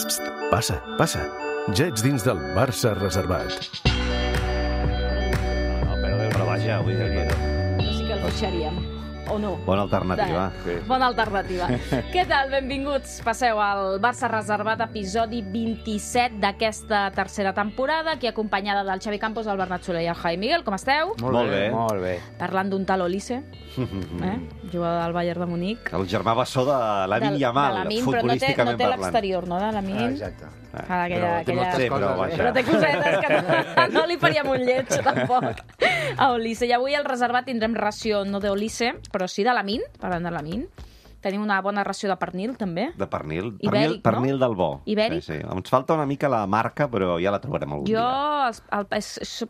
Passa, passa. Ja ets dins del Barça reservat. Però vaja, vull dir que... No sí que el fitxaríem. O no. Bona alternativa. Bona alternativa. Què tal? Benvinguts. Passeu al Barça reservat, episodi 27 d'aquesta tercera temporada, aquí acompanyada del Xavi Campos, el Bernat Soler i el Javi Miguel. Com esteu? Molt bé. Molt bé. Parlant d'un tal Olise, jugador del Bayern de Munic. El germà bessó de Lamine Yamal, futbolísticament però no té parlant. l'exterior, no, de Lamine? Exacte. Però té cosetes que no li faríem un lleig, tampoc, a Olise. I avui al reservat tindrem ració no d'Olise, però sí de Lamine, parlant de Lamine. Tenim una bona ració de pernil, també. De pernil. Ibèric, pernil del bo. Ibèric. Sí. Ens falta una mica la marca, però ja la trobarem algun dia.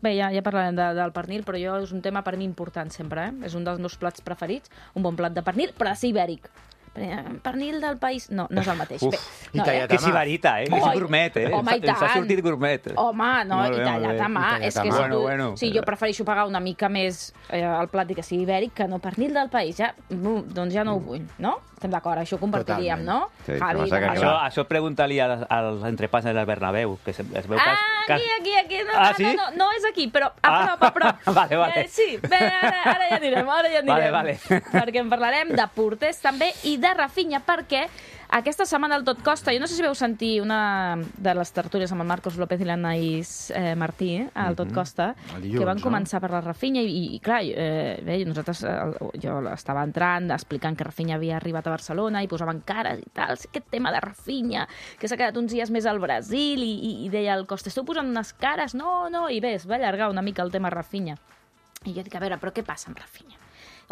Bé, ja parlarem del pernil, però jo és un tema per mi important sempre, eh? És un dels meus plats preferits, un bon plat de pernil, però ha de ser ibèric. Pernil del país... No, no és el mateix. Uf, no, que és ibarita, que és gourmet, Home, i tant. Ens ha sortit gourmet. Home, no, i tallat a mà. És que bueno. Sí, jo prefereixo pagar una mica més el plat i que sigui ibèric que no pernil del país. Ja, doncs ja no ho vull, no? Estem d'acord, això ho compartiríem, no? Sí, Javi, això pregunta-li als entrepans del Bernabéu, que es veu que... Aquí. Sí? No és aquí, però a prop. Vale. Sí, bé, ara ja anirem. Vale. Perquè en parlarem de porters també i de Rafinha, perquè aquesta setmana al Tot Costa, jo no sé si veu sentir una de les tertúlies amb el Marcos López i l'Anaïs Martí, al Tot Costa, que van començar per la Rafinha i clar, bé, nosaltres, jo estava entrant, explicant que Rafinha havia arribat a Barcelona i posaven cares i tal, aquest tema de Rafinha, que s'ha quedat uns dies més al Brasil i deia el Costa, esteu posant unes cares? No, i bé, es va allargar una mica el tema Rafinha. I jo dic, a veure, però què passa amb Rafinha?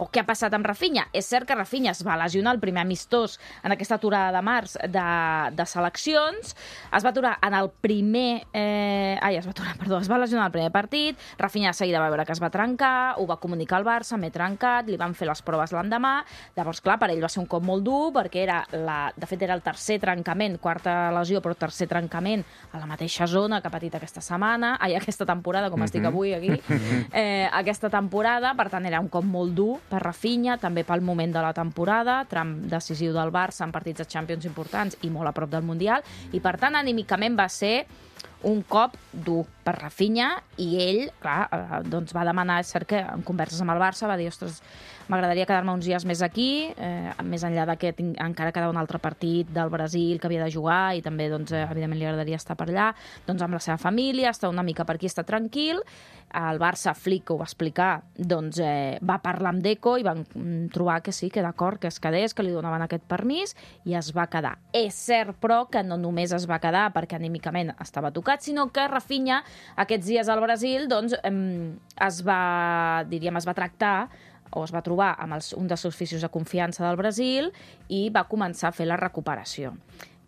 O què ha passat amb Rafinha? És cert que Rafinha es va lesionar el primer amistós en aquesta aturada de març de seleccions, es va aturar en el primer... es va lesionar el primer partit, Rafinha de seguida va veure que es va trencar, ho va comunicar al Barça, m'he trencat, li van fer les proves l'endemà, llavors, clar, per ell va ser un cop molt dur, perquè de fet era el tercer trencament, quarta lesió, però tercer trencament a la mateixa zona que ha patit aquesta setmana, aquesta temporada, com estic avui aquí, aquesta temporada, per tant, era un cop molt dur per Rafinha, també pel moment de la temporada, tram decisiu del Barça en partits de Champions importants i molt a prop del Mundial, i per tant, anímicament va ser un cop dur per Rafinha i ell, clar, doncs va demanar, és cert que en converses amb el Barça va dir, ostres, m'agradaria quedar-me uns dies més aquí, més enllà que encara quedava un altre partit del Brasil que havia de jugar i també, doncs, evidentment, li agradaria estar per allà, doncs amb la seva família, estar una mica per aquí, estar tranquil. El Barça, Flick, que ho va explicar, doncs va parlar amb Deco i van trobar que sí, que d'acord, que es quedés, que li donaven aquest permís i es va quedar. És cert, però, que no només es va quedar perquè anímicament estava tocat, sinó que Rafinha aquests dies al Brasil doncs, es va tractar o es va trobar amb un dels seus fisios de confiança del Brasil i va començar a fer la recuperació.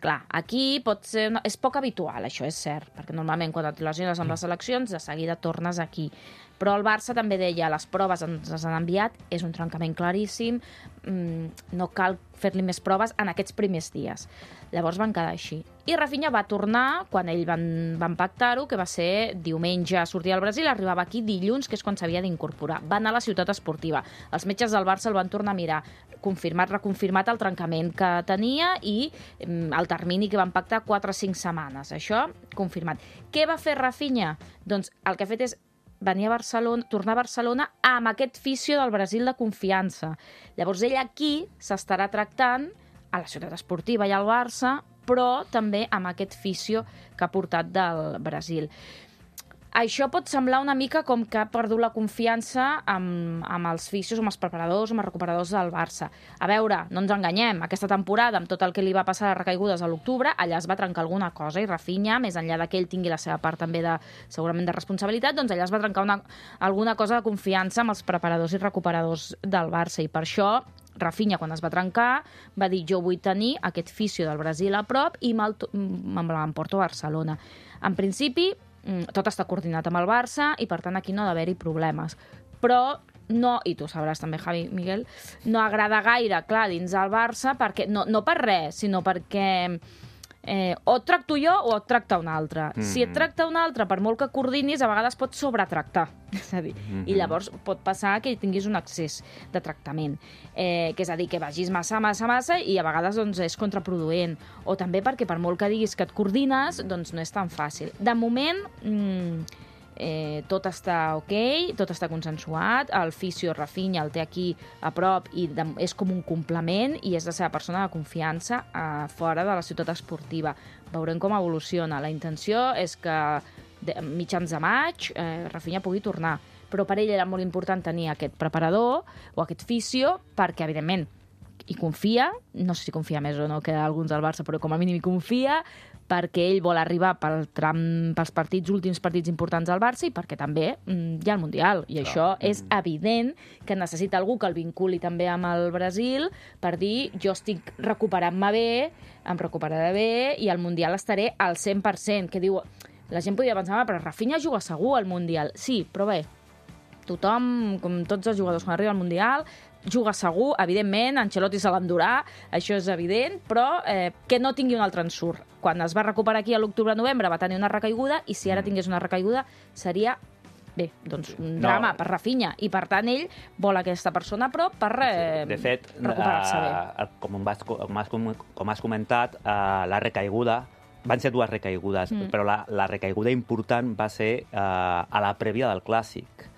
Clar, aquí és poc habitual, això és cert, perquè normalment quan et lesiones amb les seleccions de seguida tornes aquí. Però el Barça també deia, les proves ens les han enviat, és un trencament claríssim, no cal fer-li més proves en aquests primers dies. Llavors van quedar així. I Rafinha va tornar, quan ell van pactar-ho, que va ser diumenge a sortir al Brasil, arribava aquí dilluns, que és quan s'havia d'incorporar. Va anar a la ciutat esportiva. Els metges del Barça el van tornar a mirar, reconfirmat el trencament que tenia i el termini que van pactar 4 o 5 setmanes. Això, confirmat. Què va fer Rafinha? Doncs el que ha fet és venir a Barcelona, tornar a Barcelona amb aquest fisio del Brasil de confiança. Llavors ell aquí s'estarà tractant a la ciutat esportiva i al Barça, però també amb aquest fisio que ha portat del Brasil. Això pot semblar una mica com que ha perdut la confiança amb els fisios, amb els preparadors, amb els recuperadors del Barça. A veure, no ens enganyem, aquesta temporada, amb tot el que li va passar a recaigudes a l'octubre, allà es va trencar alguna cosa i Rafinha, més enllà que ell tingui la seva part també segurament de responsabilitat, doncs allà es va trencar alguna cosa de confiança amb els preparadors i recuperadors del Barça i per això Rafinha, quan es va trencar, va dir jo vull tenir aquest fisio del Brasil a prop i m'emporto a Barcelona. En principi, tot està coordinat amb el Barça i, per tant, aquí no ha d'haver-hi problemes. Però no, i tu sabràs també, Javi, Miguel, no agrada gaire, clar, dins del Barça, perquè no per res, sinó perquè o et tracto jo o et tracta un altre. Si et tracta un altre, per molt que coordinis, a vegades pot sobretractar. És a dir, i llavors pot passar que tinguis un excés de tractament. Que és a dir, que vagis massa i a vegades doncs, és contraproduent. O també perquè per molt que diguis que et coordines, doncs no és tan fàcil. De moment, tot està ok, tot està consensuat, el fisio Rafinha el té aquí a prop i és com un complement i és la seva persona de confiança fora de la ciutat esportiva. Veurem com evoluciona. La intenció és que mitjans de maig Rafinha pugui tornar, però per ell era molt important tenir aquest preparador o aquest fisio perquè, evidentment, hi confia, no sé si confia més o no que alguns del Barça, però com a mínim hi confia, perquè ell vol arribar pels últims partits importants al Barça i perquè també hi ha el Mundial. I això és evident que necessita algú que el vinculi també amb el Brasil per dir jo estic recuperant-me bé, em recuperaré bé i al Mundial estaré al 100%. Que diu, la gent podria pensar, però Rafinha juga segur al Mundial. Sí, però bé, tothom, com tots els jugadors quan arriba al Mundial, juga segur, evidentment, Ancelotti se l'endurà, això és evident, però que no tingui un altre ensurt. Quan es va recuperar aquí a l'octubre-novembre va tenir una recaiguda i si ara tingués una recaiguda seria, bé, doncs un drama per Rafinha i per tant ell vol aquesta persona a prop per recuperar-se bé. Com has comentat, la recaiguda van ser dues recaigudes, però la recaiguda important va ser a la prèvia del Clàssic.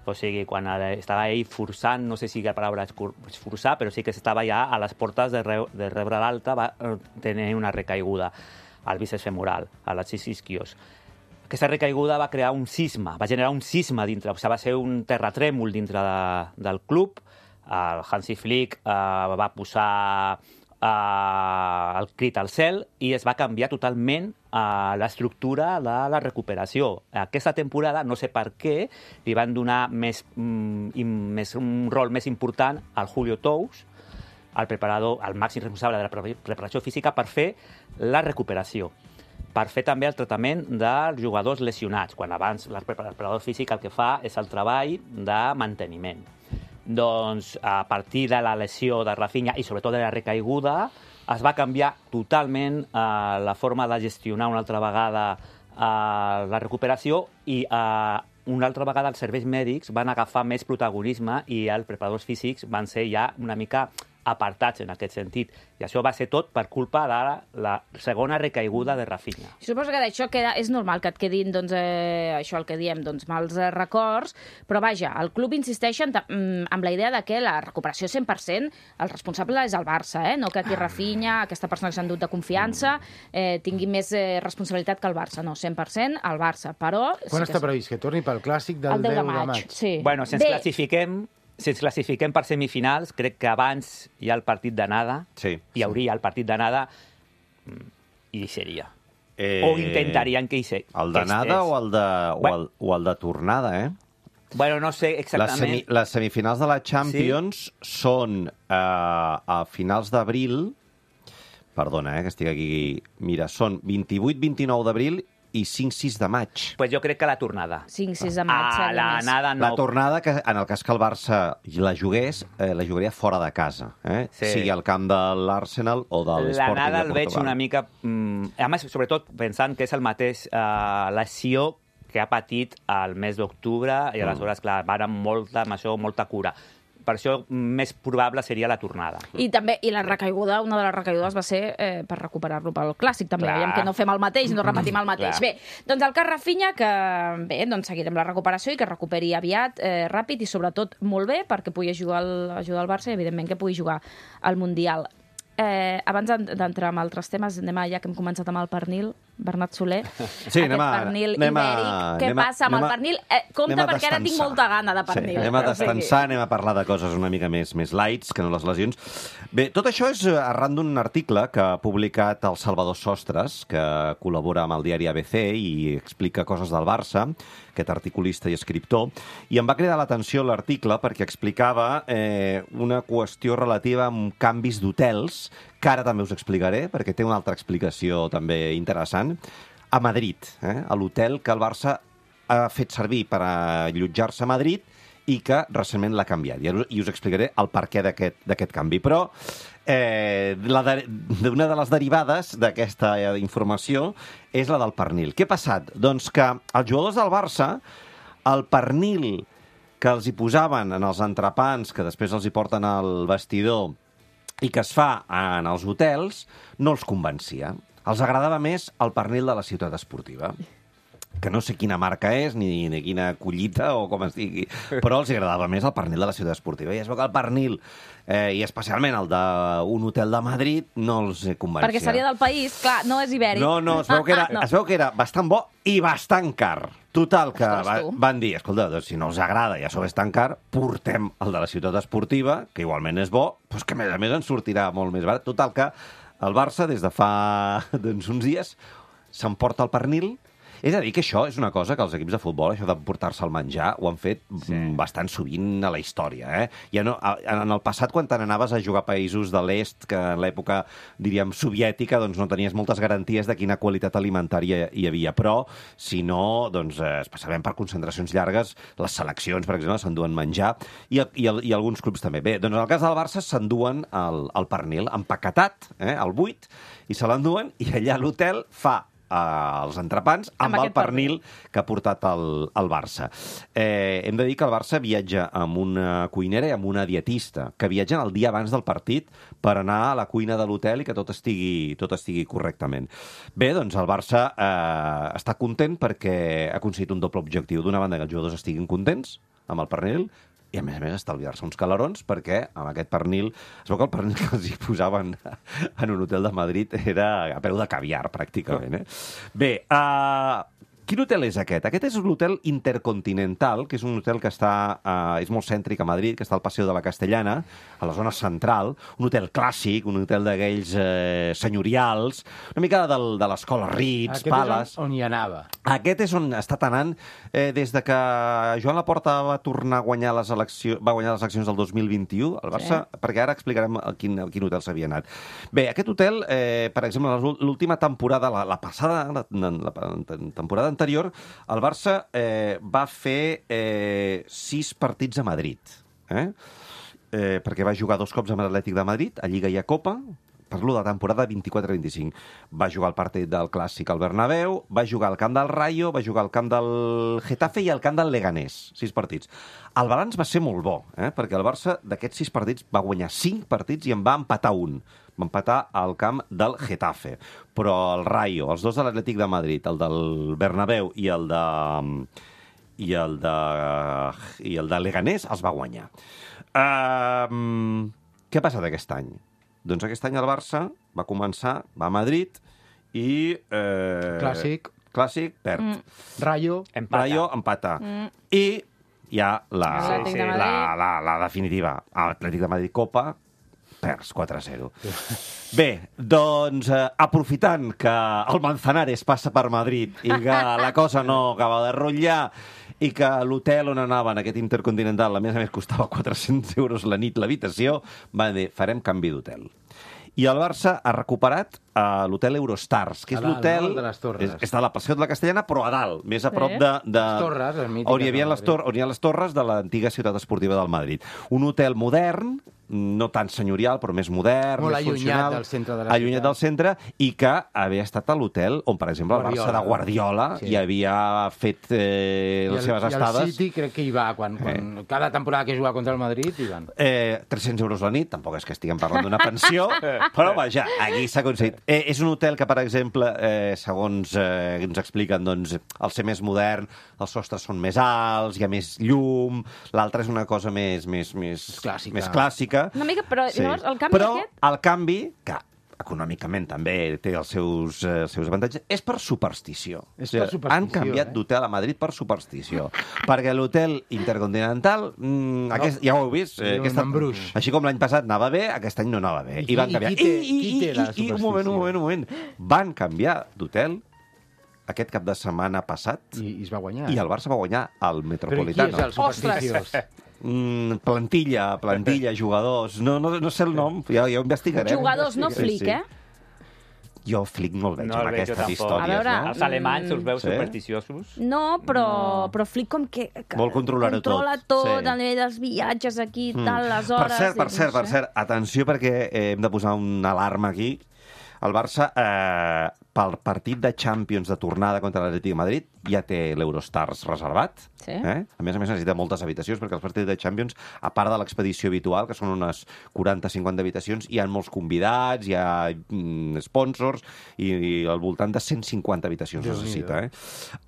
O sigui, quan estava ell forçant, no sé si la paraula és forçar, però sí que estava ja a les portes de rebre l'alta, va tenir una recaiguda al bíceps femoral, a les isquios. Aquesta recaiguda va crear un cisma, va generar un cisma dintre, o sigui, va ser un terratrèmol dintre del club. El Hansi Flick va posar el crit al cel i es va canviar totalment l'estructura de la recuperació. Aquesta temporada, no sé per què, li van donar un rol més important al Julio Tous, el preparador, el màxim responsable de la preparació física, per fer la recuperació, per fer també el tractament dels jugadors lesionats, quan abans el preparador físic el que fa és el treball de manteniment. Doncs a partir de la lesió de Rafinha i sobretot de la recaiguda es va canviar totalment la forma de gestionar una altra vegada la recuperació i una altra vegada els serveis mèdics van agafar més protagonisme i els preparadors físics van ser ja una mica apartats en aquest sentit. I això va ser tot per culpa de la segona recaiguda de Rafinha. Suposo que d'això és normal que et quedin, doncs, això el que diem, doncs, mals records, però vaja, el club insisteix amb la idea de que la recuperació 100%, el responsable és el Barça, no que aquí Rafinha, aquesta persona que s'ha endut de confiança, tingui més responsabilitat que el Barça. No, 100% el Barça, però... Quan està previst? Que torni pel Clàssic del 10 de maig. Sí. Bueno, si ens classifiquem per semifinals, crec que abans hi ha el partit d'anada, hi hauria el partit d'anada i hi seria. O intentarien que hi sigui. El d'anada o el de tornada, Bueno, no sé exactament. Les semifinals de la Champions són a finals d'abril, perdona, que estic aquí... Mira, són 28-29 d'abril i 5-6 de maig. Pues jo crec que la tornada. 5-6 de maig seria l'anada no. La tornada, que en el cas que el Barça la jugués, la jugaria fora de casa. Sigui al camp de l'Arsenal o de l'Sporting de Portugal. L'anada el veig una mica... A més, sobretot pensant que és el mateix lesió que ha patit al mes d'octubre i aleshores, clar, van amb molta cura. Per això més probable seria la tornada. I també la recaiguda, una de les recaigudes va ser per recuperar-lo pel Clàssic, també. Veiem que no fem el mateix, no repetim el mateix. Bé, doncs el cas Rafinha, que bé, doncs seguirem la recuperació i que recuperi aviat, ràpid i sobretot molt bé, perquè pugui ajudar el Barça i evidentment que pugui jugar al Mundial. Abans d'entrar en altres temes, ja que hem començat amb el pernil, Bernat Soler, pernil ibèric. Què passa amb el pernil? Compte, perquè ara tinc molta gana de pernil. Anem a descansar, anem a parlar de coses una mica més lights, que no les lesions. Bé, tot això és arran d'un article que ha publicat el Salvador Sostres, que col·labora amb el diari ABC i explica coses del Barça, aquest articulista i escriptor, i em va cridar l'atenció l'article perquè explicava una qüestió relativa amb canvis d'hotels, que ara també us explicaré, perquè té una altra explicació també interessant, a Madrid, a l'hotel que el Barça ha fet servir per allotjar-se a Madrid i i que recentment l'ha canviat. I us explicaré el perquè d'aquest canvi. Però una de les derivades d'aquesta informació és la del pernil. Què ha passat? Doncs que els jugadors del Barça, el pernil que els hi posaven en els entrepans, que després els hi porten al vestidor i que es fa en els hotels, no els convencia. Els agradava més el pernil de la ciutat esportiva, que no sé quina marca és, ni quina collita o com es digui, però els agradava més el pernil de la ciutat esportiva. I es veu que el pernil, i especialment el d'un hotel de Madrid, no els convencia. Perquè seria del país, clar, no és ibèric. No, es veu que era bastant bo i bastant car. Total, que van dir, escolta, doncs, si no els agrada i això és tan car, portem el de la ciutat esportiva, que igualment és bo, doncs que a més ens sortirà molt més barat. Total, que el Barça, des de fa uns dies, s'emporta el pernil. És a dir, que això és una cosa que els equips de futbol, això de portar-se el menjar, ho han fet bastant sovint a la història. Ja no, en el passat, quan te n'anaves a jugar a països de l'est, que en l'època, diríem, soviètica, doncs no tenies moltes garanties de quina qualitat alimentària hi havia. Però, si no, doncs, especialment per concentracions llargues, les seleccions, per exemple, s'enduen menjar, i alguns clubs també. Bé, doncs en el cas del Barça s'enduen el pernil empaquetat, al buit, i se l'enduen, i allà a l'hotel fa els entrepans amb el pernil que ha portat el Barça. Hem de dir que el Barça viatja amb una cuinera i amb una dietista, que viatgen el dia abans del partit per anar a la cuina de l'hotel i que tot estigui correctament. Bé, doncs el Barça està content perquè ha aconseguit un doble objectiu. D'una banda, que els jugadors estiguin contents amb el pernil, i, a més, estalviar-se uns calarons, perquè amb aquest pernil... Es veu que el pernil que els hi posaven en un hotel de Madrid era a peu de caviar, pràcticament. Bé, quin hotel és aquest? Aquest és l'hotel Intercontinental, que és un hotel que és molt cèntric a Madrid, que està al Passeig de la Castellana, a la zona central, un hotel clàssic, un hotel d'aquells senyorials, una mica de l'escola Ritz, Palace... Aquest és on hi anava. Aquest és on ha estat anant des de que Joan Laporta va tornar a guanyar les eleccions del 2021, al Barça, perquè ara explicarem a quin hotel s'havia anat. Bé, aquest hotel, per exemple, l'última temporada, la passada, la temporada anterior, el Barça va fer 6 partits a Madrid, perquè va jugar 2 cops amb l'Atlètic de Madrid, a Lliga i a Copa. Parlo de la temporada 24-25. Va jugar el partit del Clàssic al Bernabéu, va jugar al camp del Rayo, va jugar al camp del Getafe i al camp del Leganés. 6 partits. El balanç va ser molt bo, perquè el Barça d'aquests 6 partits va guanyar 5 partits i en va empatar un. Va empatar al camp del Getafe. Però el Rayo, els 2 de l'Atlètic de Madrid, el del Bernabéu i el de Leganés, els va guanyar. Què ha passat aquest any? Doncs aquest any el Barça va començar, va a Madrid i... Clàssic, perd. Rayo, empata. I hi ha la definitiva. Atlètic de Madrid Copa, perds 4-0. Bé, doncs, aprofitant que el Manzanares passa per Madrid i que la cosa no acaba de rotllar i que l'hotel on anaven, aquest Intercontinental, a més costava 400 euros la nit l'habitació, van dir, farem canvi d'hotel. I el Barça ha recuperat l'hotel Eurostars, que és l'hotel... de les Torres. Està a la Passeig de la Castellana, però a dalt, més a prop de... Les Torres, on hi havia les torres de l'antiga ciutat esportiva del Madrid. Un hotel modern, no tan senyorial, però més modern, molt més funcional. Allunyat del centre de la ciutat. Allunyat del centre, i que havia estat a l'hotel on, per exemple, el Barça de Guardiola hi havia fet les seves estades. I el City crec que hi va, quan cada temporada que juga contra el Madrid hi van. 300 euros la nit, tampoc és que estiguem parlant d'una pensió, però vaja, aquí s'ha aconseguit. És un hotel que, per exemple, segons ens expliquen, doncs, al ser més modern, els sostres són més alts, hi ha més llum, l'altre és una cosa més clàssica. Una mica, però llavors el canvi aquest... el canvi, que econòmicament també té els seus avantatges, és per superstició. Han canviat d'hotel a Madrid per superstició. Perquè l'hotel Intercontinental, ja ho heu vist, així com l'any passat anava bé, aquest any no anava bé. I van canviar. I un moment. Van canviar d'hotel aquest cap de setmana passat i es va guanyar. I el Barça va guanyar al Metropolitano. Però qui és el supersticiós? Plantilla, jugadors... No sé el nom, ja ho investigarem. Jugadors, no flic, Jo Flick no el veig amb aquestes tampoc. històries, A veure, no? Els alemanys us veus Sí? supersticiosos? No, però Flick com que Vol controlar-ho tot. controla tot, Sí. a nivell dels viatges aquí, tal, les hores... Per cert, atenció perquè hem de posar una alarma aquí. El Barça, pel partit de Champions de tornada contra l'Atlètic de Madrid, ja té l'Eurostars reservat. Sí. A més necessita moltes habitacions, perquè els partits de Champions, a part de l'expedició habitual, que són unes 40-50 habitacions, hi ha molts convidats, hi ha sponsors, i al voltant de 150 habitacions necessita.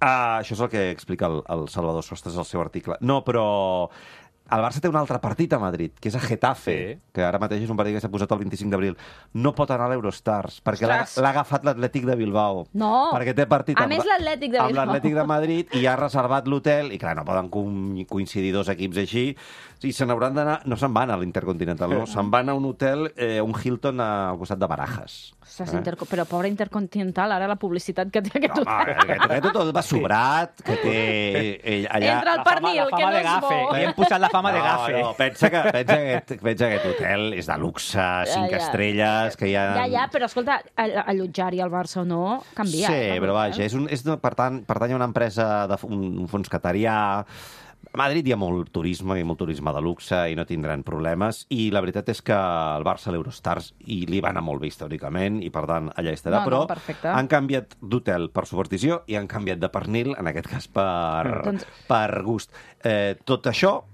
Això és el que explica el Salvador Sostres al seu article. No, però... El Barça té un altre partit a Madrid, que és a Getafe, que ara mateix és un partit que s'ha posat el 25 d'abril. No pot anar a l'Eurostars, perquè l'ha agafat l'Atlètic de Bilbao. No. Perquè té partit A més, l'Atlètic de Bilbao. amb l'Atlètic de Madrid i ha reservat l'hotel, i clar, no poden coincidir dos equips així, i se n'hauran d'anar... No se'n van a l'Intercontinental, no? Se'n van a un hotel, un Hilton al costat de Barajas. Ostres, però pobre Intercontinental, ara la publicitat que té aquest hotel. Aquest hotel va sobrat, que té... allà... Entre el pernil, que no és bo. Li hem posat la fama de gafe. No, pensa que aquest hotel és de luxe, 5 estrelles, que hi ha... Ja, però escolta, allotjar-hi al Barça o no canvia. Sí, però vaja, pertany a una empresa, un fons catarià. A Madrid hi ha molt turisme de luxe i no tindran problemes, i la veritat és que el Barça a l'Eurostars li va anar molt bé històricament i per tant allà estarà, però han canviat d'hotel per superstició i han canviat de pernil, en aquest cas per gust. Tot això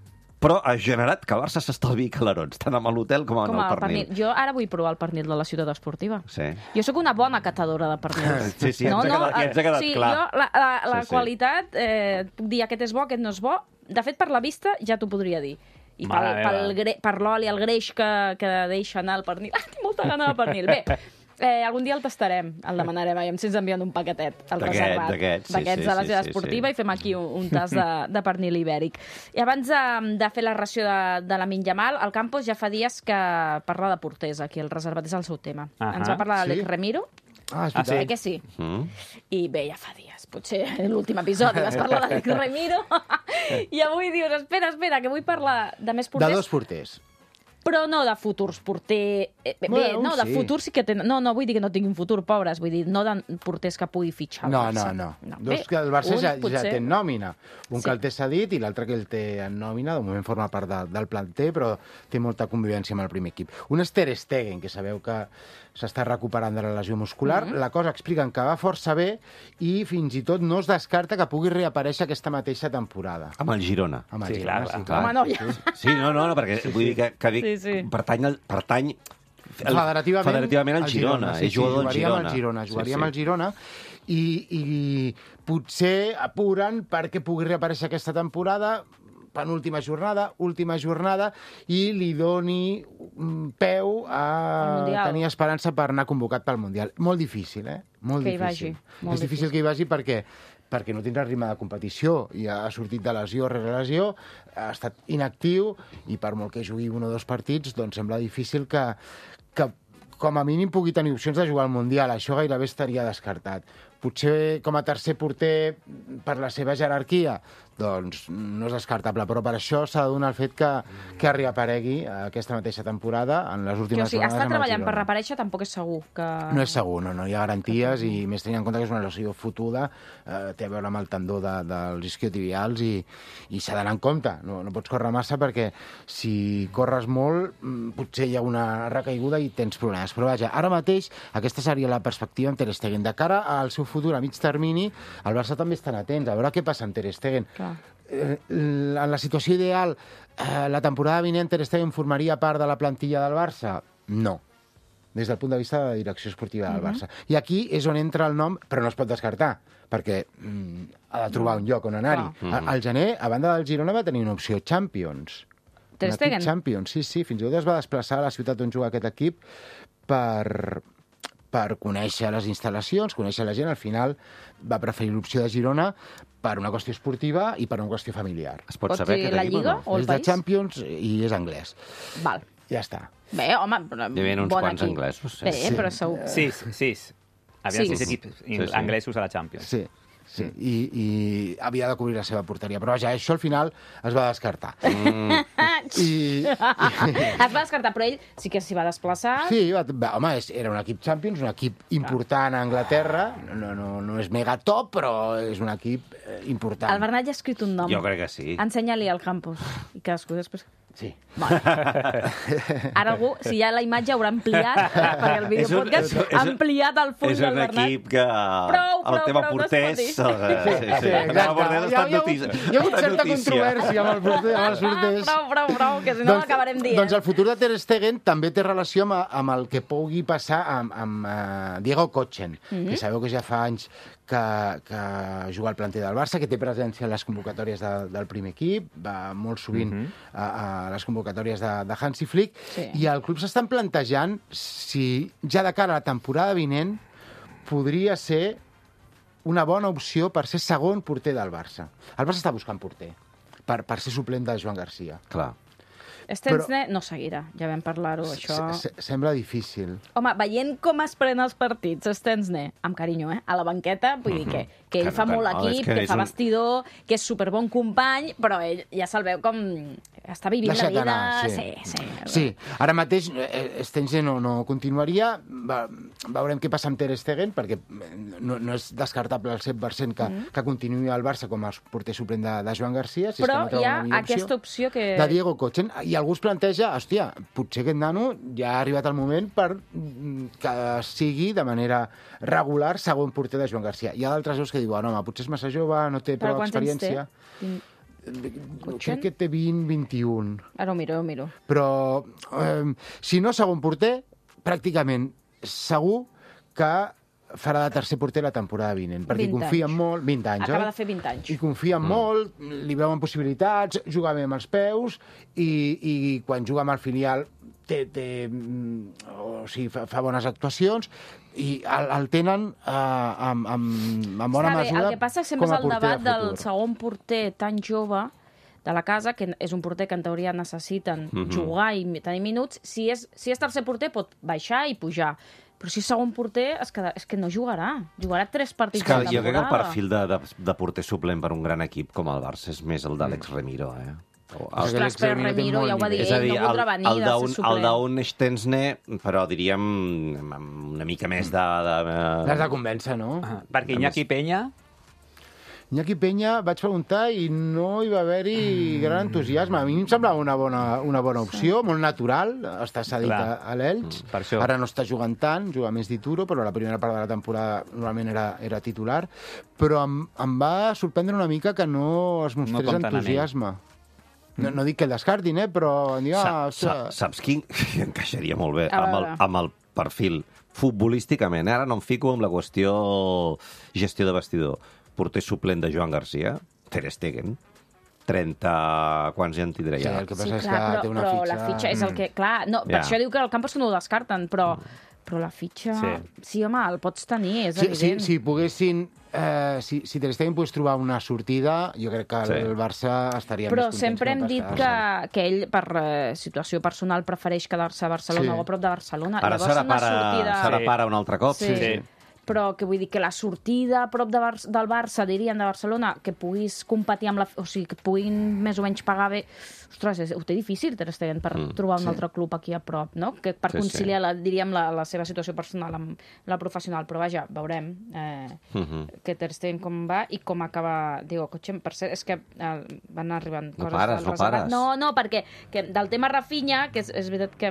però ha generat que el Barça s'estalviï calarons, tant amb l'hotel com amb el pernil. Jo ara vull provar el pernil de la ciutat esportiva. Sí. Jo sóc una bona catadora de pernils. Sí, ens ha quedat clar. Jo, la qualitat, puc dir aquest és bo, aquest no és bo. De fet, per la vista ja t'ho podria dir. I per l'oli, el greix que deixa anar el pernil. Tinc molta gana de pernil. Bé, algun dia el tastarem, el demanarem, si ens envien un paquetet, el reservat. D'aquests de la ciutat esportiva, i fem aquí un tas de pernil ibèric. I abans de fer la ració de Lamine Yamal, el Campos ja fa dies que parla de porters aquí, el reservat és el seu tema. Ens va parlar d'Alex Remiro. És veritat. Que sí? I bé, ja fa dies. Potser l'últim episodi vas parlar d'Alex Remiro i avui dius, espera, que vull parlar de més porters. De dos porters. Però no de futurs porter... de futurs sí que tenen... No, vull dir que no tinguin futur, pobres. Vull dir, no de porters que pugui fitxar el Barça. No. Dos que el Barça ja té en nòmina. Un que el té cedit i l'altre que el té en nòmina. De moment forma part del planter, però té molta convivència amb el primer equip. Un és Ter Stegen, que sabeu que s'està recuperant de la lesió muscular. La cosa expliquen que va força bé i fins i tot no es descarta que pugui reaparèixer aquesta mateixa temporada. Amb el Girona. Sí, clar. Home, no, ja. Sí, no, perquè vull dir que dic, pertany federativament al Girona. És jugador del Girona. Jugaria amb el Girona i potser apuren perquè pugui reaparèixer aquesta temporada, penúltima jornada, última jornada, i li doni peu a tenir esperança per anar convocat pel Mundial. Molt difícil, Molt difícil. És difícil que hi vagi perquè no tindrà ritme de competició i ha sortit de lesió rere lesió, ha estat inactiu i per molt que jugui un o dos partits, doncs sembla difícil que com a mínim pugui tenir opcions de jugar al Mundial. Això gairebé estaria descartat. Potser com a tercer porter per la seva jerarquia, doncs no és descartable, però per això s'ha de donar el fet que reaparegui aquesta mateixa temporada en les últimes jornades. Està treballant per reaparèixer, tampoc és segur que... No és segur, no hi ha garanties, i més tenint en compte que és una lesió fotuda, té a veure amb el tendó dels isquiotibials i s'ha d'anar en compte. No pots córrer massa perquè si corres molt potser hi ha una recaiguda i tens problemes. Però vaja, ara mateix aquesta seria la perspectiva amb Ter Stegen. De cara al seu futur a mig termini, el Barça també estan atents a veure què passa amb Ter Stegen. En la situació ideal, la temporada vinent Ter Stegen formaria part de la plantilla del Barça? No, des del punt de vista de la direcció esportiva del Barça. I aquí és on entra el nom, però no es pot descartar, perquè ha de trobar un lloc on anar-hi. Al gener, a banda del Girona, va tenir una opció Champions. Ter Stegen? Champions, sí. Fins i tot es va desplaçar a la ciutat on juga aquest equip per conèixer les instal·lacions, conèixer la gent. Al final va preferir l'opció de Girona per una qüestió esportiva i per una qüestió familiar. Es pot saber dir la Lliga o el país? És de Champions i és anglès. Val. Ja està. Bé, home, hi havia uns quants anglesos. Bé, però segur. Sis. Havia 6 equips anglesos a la Champions. Sí, i havia de cobrir la seva porteria. Però vaja, això al final es va descartar. I Es va descartar, però ell sí que s'hi va desplaçar. Sí, home, era un equip Champions, un equip important a Anglaterra. No és mega top, però és un equip important. El Bernat ja ha escrit un nom. Jo crec que sí. Ensenya-li al campus. I cadascú després... Sí. Ara algú, si hi ha la imatge, haurà ampliat, perquè el videopodcast ha ampliat el full del Bernat. És un equip que el tema porters... Sí, exacte. Hi ha hagut certa controvèrsia amb els porters. Prou, que si no l'acabarem dient. Doncs el futur de Ter Stegen també té relació amb el que pugui passar amb Diego Kochen, que sabeu que ja fa anys que juga al planter del Barça, que té presència a les convocatòries del primer equip, va molt sovint a les convocatòries de Hansi Flick, i el club s'estan plantejant si ja de cara a la temporada vinent podria ser una bona opció per ser segon porter del Barça. El Barça està buscant porter per ser suplent de Joan Garcia. Clar. Stensne no seguirà, ja vam parlar-ho, això... Sembla difícil. Home, veient com es prenen els partits, Stensne, amb carinyo, a la banqueta, vull dir que ell fa molt equip, que fa vestidor, que és superbon company, però ell ja se'l veu com... està vivint la vida... Sí, ara mateix Stensne no continuaria, veurem què passa amb Ter Stegen, perquè no és descartable al 100% que continuï al Barça com a porter suplent de Joan Garcia. Però hi ha aquesta opció que... De Diego Kochen, i algú es planteja, hòstia, potser aquest nano ja ha arribat el moment per que sigui de manera regular segon porter de Joan Garcia. Hi ha d'altres veus que diuen, home, potser és massa jove, no té prou experiència. Crec que té 20, 21. Ara ho miro. Però si no segon porter, pràcticament segur que farà de tercer porter la temporada vinent, perquè confien molt... 20 anys, acaba de fer 20 anys. I confien molt, li veuen possibilitats, juga bé amb els peus, i quan juga amb el filial fa bones actuacions, i el tenen amb bona mesura. El que passa sempre és el debat del segon porter tan jove de la casa, que és un porter que en teoria necessiten jugar i tenir minuts. Si és tercer porter pot baixar i pujar, però si és segon porter és que no jugarà. Jugarà 3 partits de temporada. Jo crec que el perfil de porter suplent per un gran equip com el Barça és més el d'Àlex Remiro, Ostres, però Remiro ja ho va dir ell, no voldrà venir de ser suplent. El d'un Stensne, però diríem una mica més de... L'has de convèncer, no? Perquè Iñaki Peña... Iñaki Peña, vaig preguntar i no hi va haver-hi gran entusiasme. A mi em semblava una bona opció, molt natural, està cedit a l'Elx. Ara no està jugant tant, juga més d'Ituro, però la primera part de la temporada normalment era titular. Però em va sorprendre una mica que no es mostrés entusiasme. No dic que el descartin, però... Saps qui encaixaria molt bé amb el perfil futbolísticament? Ara no em fico amb la qüestió gestió de vestidor. Porter suplent de Joan Garcia, Ter Stegen, 30... Quants ja en tindrà ja? Sí, el que passa és que té una fitxa... Però la fitxa és el que... Clar, per això diu que el Campos no ho descarten, però la fitxa... Sí, home, el pots tenir, és evident. Si poguessin... Si Ter Stegen pogués trobar una sortida, jo crec que el Barça estaria més contents. Però sempre hem dit que ell, per situació personal, prefereix quedar-se a Barcelona o a prop de Barcelona. Ara serà pare un altre cop. Sí. Però que vull dir que la sortida a prop del Barça, dirien, de Barcelona, que puguis competir amb o sigui, que puguin més o menys pagar bé... Ostres, ho té difícil, Ter Stegen, per trobar un altre club aquí a prop, no? Que per conciliar, diríem, la seva situació personal amb la professional. Però vaja, veurem que Ter Stegen com va i com acaba Diego Kochen. Per cert, és que van arribant coses... No pares. No, perquè del tema Rafinha, que és veritat que...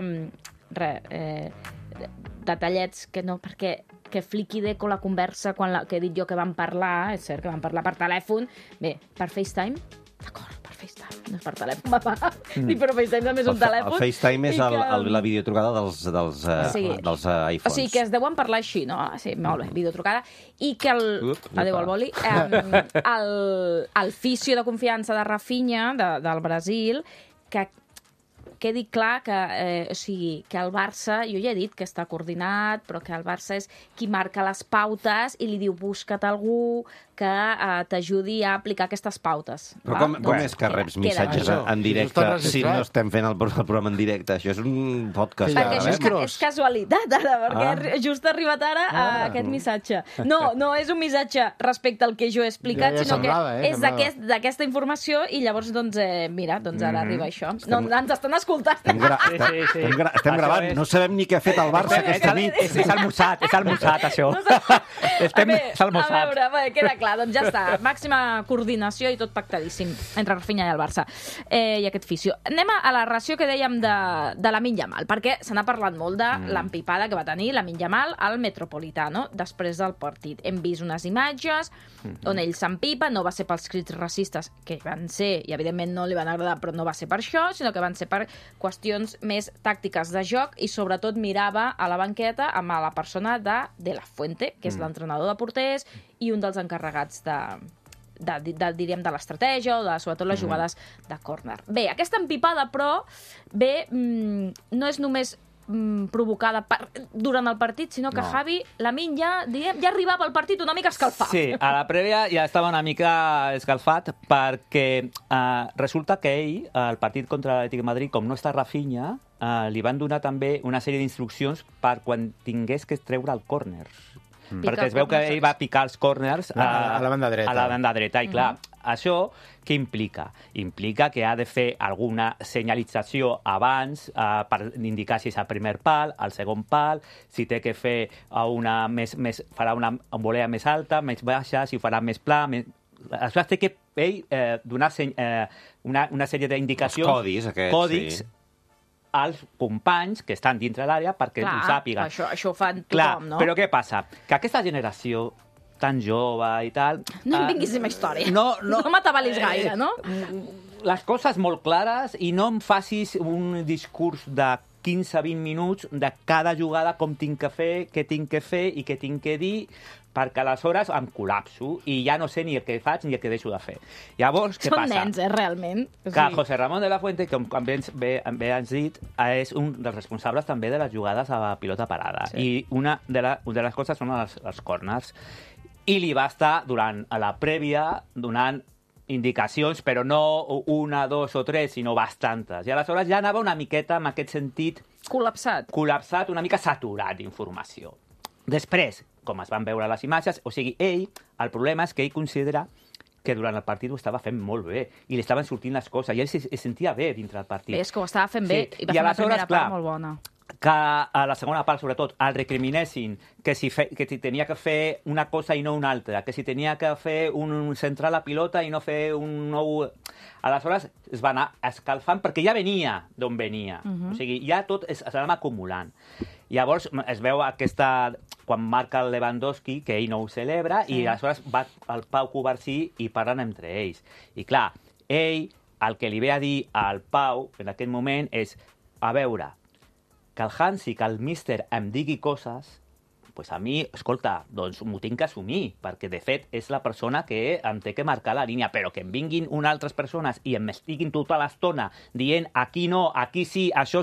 detallets que no, perquè que Flick i Deco la conversa que he dit jo que van parlar, és cert que van parlar per telèfon, bé, per FaceTime, d'acord, per FaceTime, no és per telèfon, va. Però FaceTime també és un telèfon. El FaceTime és la videotrucada dels iPhones. O sigui, que es deuen parlar així, no? Sí, molt bé, videotrucada. I que adéu al boli. El fisio de confiança de Rafinha, del Brasil, que quedi clar que, que el Barça, jo ja he dit que està coordinat, però que el Barça és qui marca les pautes i li diu busca't algú que t'ajudi a aplicar aquestes pautes. Però com és que reps missatges en directe si no estem fent el programa en directe? Això és un podcast. Perquè això és casualitat, ara, perquè just ha arribat ara aquest missatge. No és un missatge respecte al que jo he explicat, sinó que és d'aquesta informació i llavors, mira, ara arriba això. Ens estan escoltant escoltar. Estem Això gravant, és- no sabem ni què ha fet el Barça aquesta nit. És almoçat, això. A És almoçat. veure, bé, queda clar, doncs ja està. Màxima coordinació i tot pactadíssim entre Rafinha i el Barça. I aquest fisio. Anem a la ració que dèiem de Lamine Yamal, perquè se n'ha parlat molt de l'empipada que va tenir Lamine Yamal al Metropolitano després del partit. Hem vist unes imatges on ell s'empipa, no va ser pels crits racistes, que van ser, i evidentment no li van agradar, però no va ser per això, sinó que van ser per qüestions més tàctiques de joc i sobretot mirava a la banqueta amb la persona de La Fuente, que és l'entrenador de porters i un dels encarregats diríem, de l'estratègia o sobretot les jugades de córner. Bé, aquesta empipada, però, no és només provocada durant el partit, sinó que Javi, Lamine ja arribava al partit una mica escalfat. Sí, a la prèvia ja estava una mica escalfat perquè resulta que ell, al partit contra l'Atlètic de Madrid, com no està Rafinha, li van donar també una sèrie d'instruccions per quan tingués que treure el córner. Perquè es veu que ell va picar els córners a la banda dreta. A la banda dreta, i clar, això què implica? Implica que ha de fer alguna senyalització abans per indicar si és al primer pal, al segon pal, si té que fer farà una volea més alta, més baixa, si farà més pla... Això té que ell donar una sèrie d'indicacions... Els codis, sí, als companys que estan dintre l'àrea perquè ho sàpiguen. Això ho fan tothom, clar, no? Però què passa? Que aquesta generació tan jove i tal... No em vinguis amb història. No m'atabalis gaire, no? Les coses molt clares i no em facis un discurs de 15-20 minuts de cada jugada, com tinc que fer, què tinc que fer i què tinc que dir, perquè aleshores em col·lapso i ja no sé ni el que faig ni el que deixo de fer. Llavors, què passa? Són nens, realment. Que José Ramón de la Fuente, com bé has dit, és un dels responsables també de les jugades a pilota parada. Sí. I una de les coses són els corners. I li va estar, durant la prèvia, donant indicacions, però no una, dos o tres, sinó bastantes. I aleshores ja anava una miqueta, en aquest sentit... Col·lapsat, una mica saturat d'informació. Després, com es van veure les imatges, o sigui, el problema és que ell considera que durant el partit ho estava fent molt bé i li estaven sortint les coses i ell es sentia bé dintre del partit. Bé, és que ho estava fent bé i va fer una primera part molt bona. Que a la segona part, sobretot, el recriminessin que si tenia que fer una cosa i no una altra, que si tenia que fer centrar la pilota i no fer un nou... Aleshores es va anar escalfant perquè ja venia d'on venia. O sigui, ja tot s'anava acumulant. Llavors es veu quan marca el Lewandowski, que ell no ho celebra, i aleshores va el Pau Covarsí i parlen entre ells. I clar, ell, el que li ve a dir al Pau en aquest moment és, a veure, que el Hansi, que el míster em digui coses, pues a mi, escolta, doncs m'ho tinc que assumir, perquè de fet és la persona que em té que marcar la línia, però que em vinguin unes altres persones i em estiguin tota l'estona dient aquí no, aquí sí, això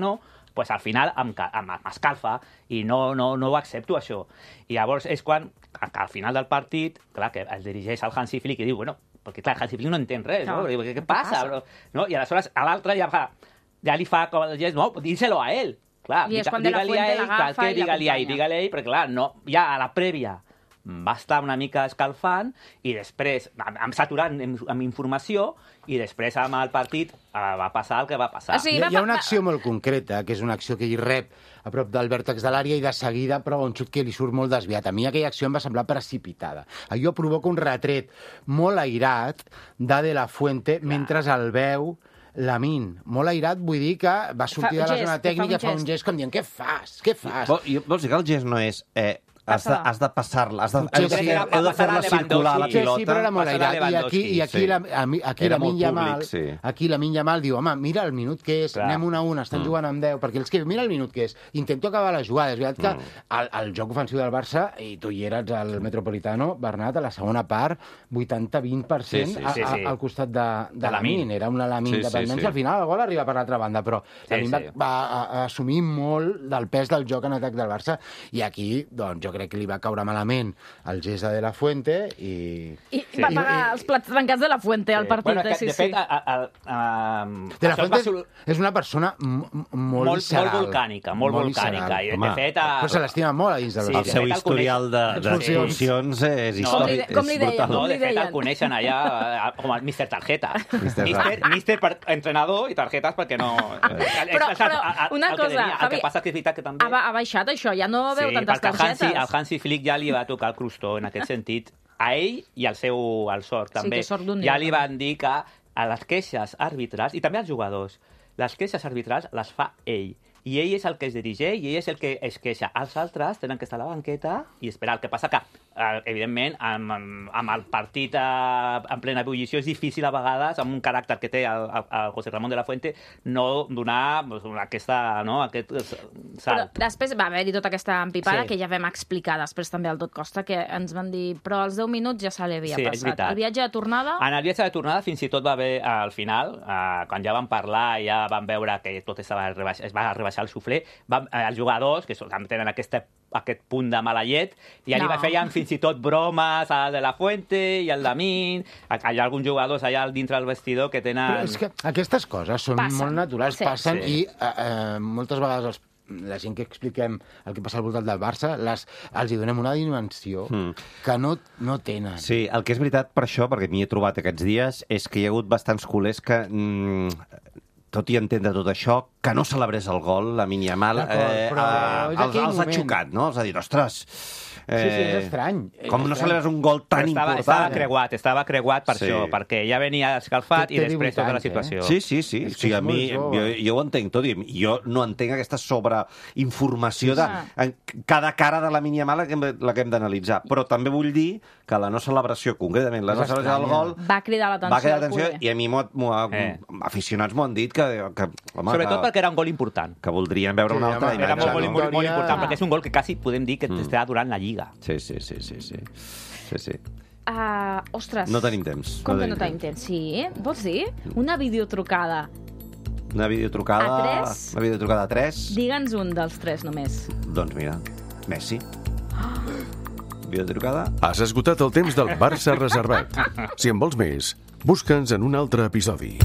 no, pues al final m'escalfa i no ho accepto, això. I llavors és quan, al final del partit, clar, que es dirigeix al Hansi Flick i diu, bueno, perquè clar, Hansi Flick no entén res, no? Què passa? No? I aleshores a l'altre ja li fa com el gest, no, díselo a ell. Clar, digue-li a ell, perquè clar, ja a la prèvia va estar una mica escalfant i després, saturant amb informació, i després amb el partit va passar el que va passar. Hi ha una acció molt concreta, que és una acció que ell rep a prop del vèrtex de l'àrea i de seguida prova un xut que li surt molt desviat. A mi aquella acció em va semblar precipitada. Allò provoca un retret molt airat de La Fuente mentre el veu Lamine. Molt airat, vull dir que va sortir de la zona tècnica i fa un gest com dient, què fas? Vols dir que el gest no és... has de passar-la, heu de fer-la circular la pilota. Sí, però era molt airat. I aquí Lamine Yamal diu, home, mira el minut que és, anem 1-1, estan jugant amb 10, perquè els que mira el minut que és, intento acabar les jugades. És veritat que el joc ofensiu del Barça, i tu hi eres al Metropolitano, Bernat, a la segona part, 80-20% al costat de Lamine. Era una Lamine dependència. Al final el gol arriba per l'altra banda, però Lamine va assumir molt del pes del joc en atac del Barça, i aquí, doncs, jo crec que li va caure malament el gest de la Fuente i... I va pagar els plats trencats de la Fuente al partit. Bueno, que, de fet, De la Fuente és una persona molt visceral. Molt volcànica, molt volcànica. I, de fet, però se l'estima molt a dins de El seu historial d'expulsions és històric. Com li deien? No, de fet, el coneixen allà com el Mr. Tarjeta. Mister per entrenador i tarjetes perquè no... Però una cosa, el que passa que és veritat que també... Ha baixat això, ja no veu tantes targetes. El Hansi Flick ja li va tocar el crostó en aquest sentit. A ell i al sort també. Ja li van dir que a les queixes arbitrals, i també als jugadors, les queixes arbitrals les fa ell. I ell és el que es dirigeix i ell és el que es queixa. Els altres tenen que estar a la banqueta i esperar. El que passa que, evidentment, amb el partit en plena ebullició és difícil a vegades, amb un caràcter que té el José Ramón de la Fuente, no donar aquest salt. Però després va haver-hi tota aquesta empipada que ja vam explicar després també al Tot Costa, que ens van dir, però als 10 minuts ja se li havia passat. El viatge de tornada... En el viatge de tornada fins i tot va haver, al final, quan ja vam parlar i ja vam veure que tot es va rebaixar el suflé, els jugadors, que també tenen aquest punt de mala llet, i ja li feien fins i tot bromes al de la Fuente i al Damín. Hi ha alguns jugadors allà dintre del vestidor que tenen... Però és que aquestes coses són molt naturals, passen, i moltes vegades la gent que expliquem el que passa al voltant del Barça, els hi donem una dimensió que no tenen. Sí, el que és veritat per això, perquè m'hi he trobat aquests dies, és que hi ha hagut bastants culers que... tot i entendre tot això, que no celebrés el gol, la Yamal, els ha xocat, no? Els ha dit, ostres... Sí, és estrany. Com no celebres un gol tan important? Estava creuat per això, perquè ja venia escalfat i després tota la situació. Sí. O sigui, a mi, jo ho entenc tot, i jo no entenc aquesta sobreinformació de cada cara de la Yamal la que hem d'analitzar. Però també vull dir que la no celebració, concretament, la no celebració del gol... Va cridar l'atenció. I a mi aficionats m'ho han dit que... Sobretot perquè era un gol important. Que voldrien veure una altra imatge. Era molt important, perquè és un gol que quasi podem dir que està durant la Lliga. Sí. Ostres. No tenim temps. Com que no tenim temps? Sí? Vols dir? Una videotrucada. Una videotrucada... A 3? Una videotrucada a 3? Digue'ns un dels 3 només. Doncs mira, Messi. Videotrucada. Has esgotat el temps del Barça reservat. Si en vols més, busca'ns en un altre episodi.